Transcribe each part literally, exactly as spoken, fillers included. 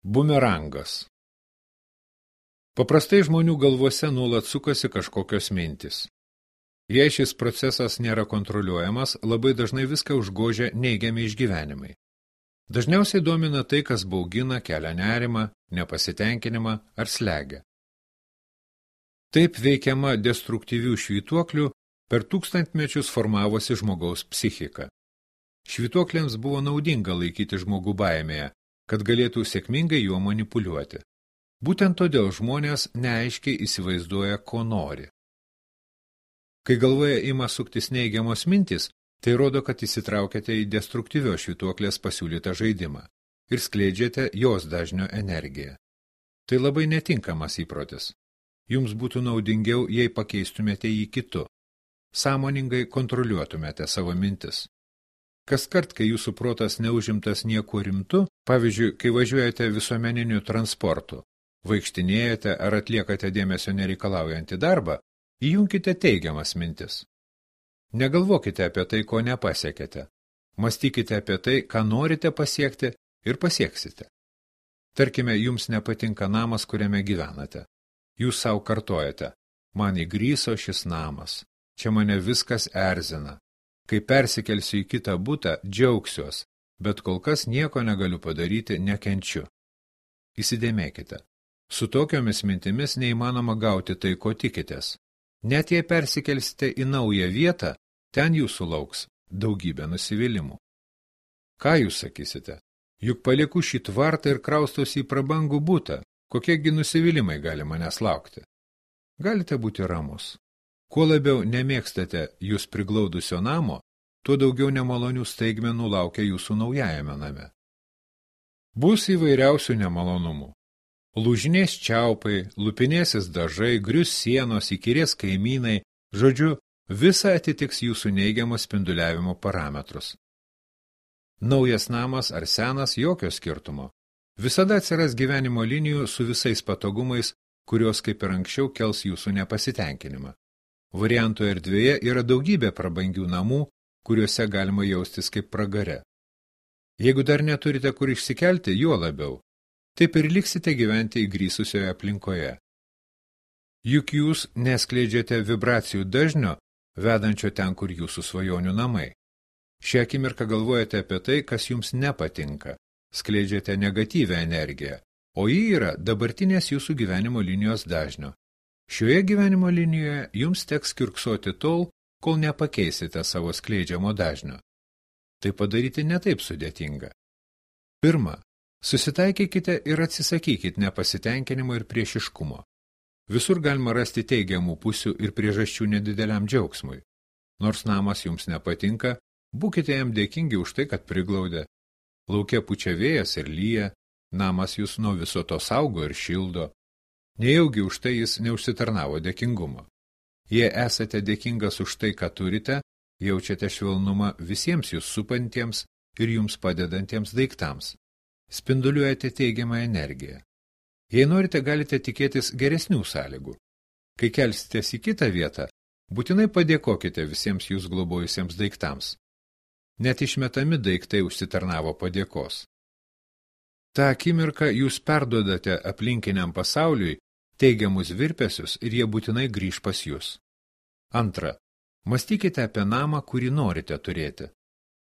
Bumerangas. Paprastai žmonių galvose nuolat sukasi kažkokios mintys. Jei šis procesas nėra kontroliuojamas, labai dažnai viską užgožia neigiami išgyvenimai. Dažniausiai domina tai, kas baugina, kelia nerimą, nepasitenkinimą ar slegia. Taip veikiama destruktyvių švytuoklių per tūkstantmečius formavosi žmogaus psichika. Švytuokliams buvo naudinga laikyti žmogų baimėje, kad galėtų sėkmingai juo manipuliuoti. Būtent todėl žmonės neaiškiai įsivaizduoja, ko nori. Kai galvoje ima suktis neigiamos mintis, tai rodo, kad įsitraukėte į destruktyvios švytuoklės pasiūlytą žaidimą ir skleidžiate jos dažnio energiją. Tai labai netinkamas įprotis. Jums būtų naudingiau, jei pakeistumėte jį kitu. Sąmoningai kontroliuotumėte savo mintis. Kaskart, kai jūsų protas neužimtas nieko rimtu, pavyzdžiui, kai važiuojate visuomeniniu transportu, vaikštinėjate ar atliekate dėmesio nereikalaujantį darbą, įjunkite teigiamas mintis. Negalvokite apie tai, ko nepasiekėte. Mąstykite apie tai, ką norite pasiekti ir pasieksite. Tarkime, jums nepatinka namas, kuriame gyvenate. Jūs savo kartojate, man įgryso šis namas, čia mane viskas erzina. Kai persikelsiu į kitą butą, džiaugsiuos, bet kol kas nieko negaliu padaryti, nekenčiu. Įsidėmėkite, su tokiomis mintimis neįmanoma gauti tai, ko tikitės. Net jei persikelsite į naują vietą, ten jūsų lauks daugybė nusivylimų. Ką jūs sakysite? Juk palieku šį tvartą ir kraustosi į prabangų butą, kokiegi nusivylimai gali manęs laukti. Galite būti ramus. Kuo labiau nemėgstate jūs priglaudusio namo, tuo daugiau nemalonių staigmenų laukia jūsų naujajame name. Bus įvairiausių nemalonumų. Lūžinės čiaupai, lupinėsis dažai, grius sienos, įkyrės kaimynai, žodžiu, visa atitiks jūsų neigiamo spinduliavimo parametrus. Naujas namas ar senas jokio skirtumo. Visada atsiras gyvenimo linijų su visais patogumais, kurios kaip ir anksčiau kels jūsų nepasitenkinimą. Variantų erdvėje yra daugybė prabangių namų, kuriuose galima jaustis kaip pragare. Jeigu dar neturite kur išsikelti, juo labiau, taip ir liksite gyventi įgrįsusioje aplinkoje. Juk jūs neskleidžiate vibracijų dažnio, vedančio ten, kur jūsų svajonių namai. Šią akimirką galvojate apie tai, kas jums nepatinka, skleidžiate negatyvę energiją, o ji yra dabartinės jūsų gyvenimo linijos dažnio. Šioje gyvenimo linijoje jums teks kiurksoti tol, kol nepakeisite savo skleidžiamo dažnio. Tai padaryti netaip sudėtinga. Pirma, susitaikykite ir atsisakykite nepasitenkinimo ir priešiškumo. Visur galima rasti teigiamų pusių ir priežasčių nedideliam džiaugsmui. Nors namas jums nepatinka, būkite jam dėkingi už tai, kad priglaudė. Lauke pučia vėjas ir lyja, namas jūs nuo viso to saugo ir šildo. Nejaugi už tai jis neužsitarnavo dėkingumo. Jei esate dėkingas už tai, ką turite, jaučiate švelnumą visiems jūs supantiems ir jums padedantiems daiktams. Spinduliuojate teigiamą energiją. Jei norite, galite tikėtis geresnių sąlygų. Kai kelsitės į kitą vietą, būtinai padėkokite visiems jūs globojusiems daiktams. Net išmetami daiktai užsitarnavo padėkos. Ta akimirka jūs perduodate aplinkiniam pasauliui teigiamus virpesius ir jie būtinai grįž pas jūs. Antra, mąstykite apie namą, kurį norite turėti.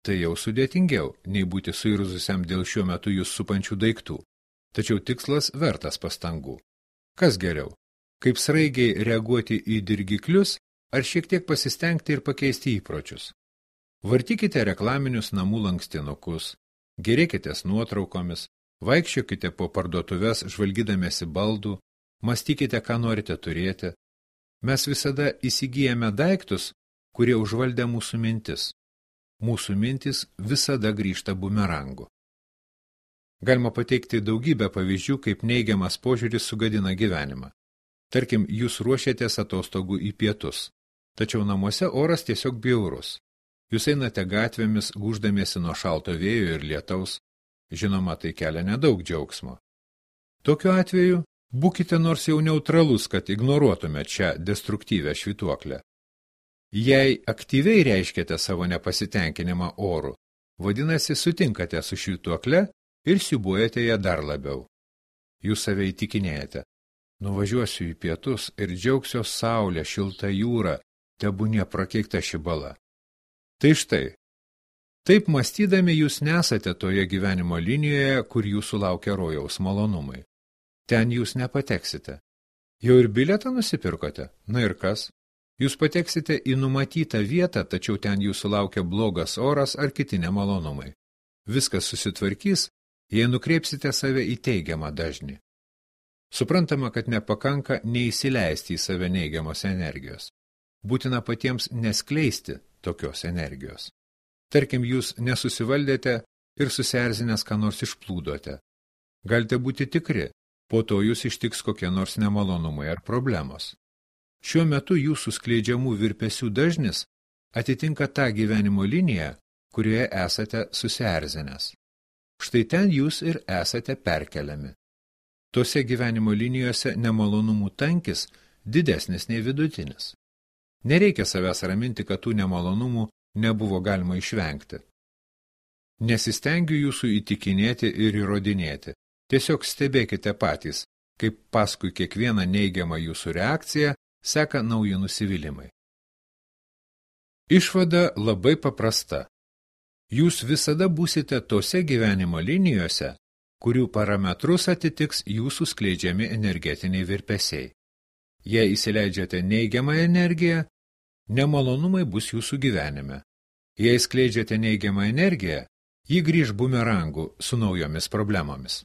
Tai jau sudėtingiau, nei būti suirzusiam dėl šiuo metu jūs supančių daiktų. Tačiau tikslas vertas pastangų. Kas geriau? Kaip sraigiai reaguoti į dirgiklius, ar šiek tiek pasistengti ir pakeisti įpročius? Vartykite reklaminius namų lankstinukus, gerėkitės nuotraukomis, vaikščiokite po parduotuves žvalgydamėsi baldų, mąstykite, ką norite turėti. Mes visada įsigyjame daiktus, kurie užvaldė mūsų mintis. Mūsų mintis visada grįžta bumerangu. Galima pateikti daugybę pavyzdžių, kaip neigiamas požiūris sugadina gyvenimą. Tarkim, jūs ruošiatės atostogų į pietus, tačiau namuose oras tiesiog bjaurus. Jūs einate gatvėmis, gūždamiesi nuo šalto vėjo ir lietaus. Žinoma, tai kelia nedaug džiaugsmo. Tokiu atveju būkite nors jau neutralus, kad ignoruotumėte šią destruktyvę švytuoklę. Jei aktyviai reiškiate savo nepasitenkinimą oru, vadinasi, sutinkate su švytuokle ir siūbuojate ją dar labiau. Jūs save įtikinėjate. Nuvažiuosiu į pietus ir džiaugsiuos saulę, šiltą jūrą, tebūnie prakeikta ši bala. Tai štai, taip mąstydami jūs nesate toje gyvenimo linijoje, kur jūsų laukia rojaus malonumai. Ten jūs nepateksite. Jau ir bilietą nusipirkote? Na ir kas? Jūs pateksite į numatytą vietą, tačiau ten jūsų laukia blogas oras ar kiti nemalonumai. Viskas susitvarkys, jei nukreipsite save į teigiamą dažnį. Suprantama, kad nepakanka neįsileisti į save neigiamos energijos. Būtina patiems neskleisti tokios energijos. Tarkim, jūs nesusivaldėte ir susierzinęs ką nors išplūdote. Galite būti tikri, po to jūs ištiks kokie nors nemalonumai ar problemos. Šiuo metu jūsų skleidžiamų virpesių dažnis atitinka tą gyvenimo liniją, kurioje esate susierzinęs. Štai ten jūs ir esate perkeliami. Tose gyvenimo linijose nemalonumų tankis didesnis nei vidutinis. Nereikia savęs raminti, kad tų nemalonumų nebuvo galima išvengti. Nesistengiu jūsų įtikinėti ir įrodinėti. Tiesiog stebėkite patys, kaip paskui kiekvieną neigiamą jūsų reakciją seka nauji nusivylimai. Išvada labai paprasta. Jūs visada būsite tose gyvenimo linijose, kurių parametrus atitiks jūsų skleidžiami energetiniai virpesiai. Jei įsileidžiate neigiamą energiją, nemalonumai bus jūsų gyvenime. Jei skleidžiate neigiamą energiją, ji grįž bumerangų su naujomis problemomis.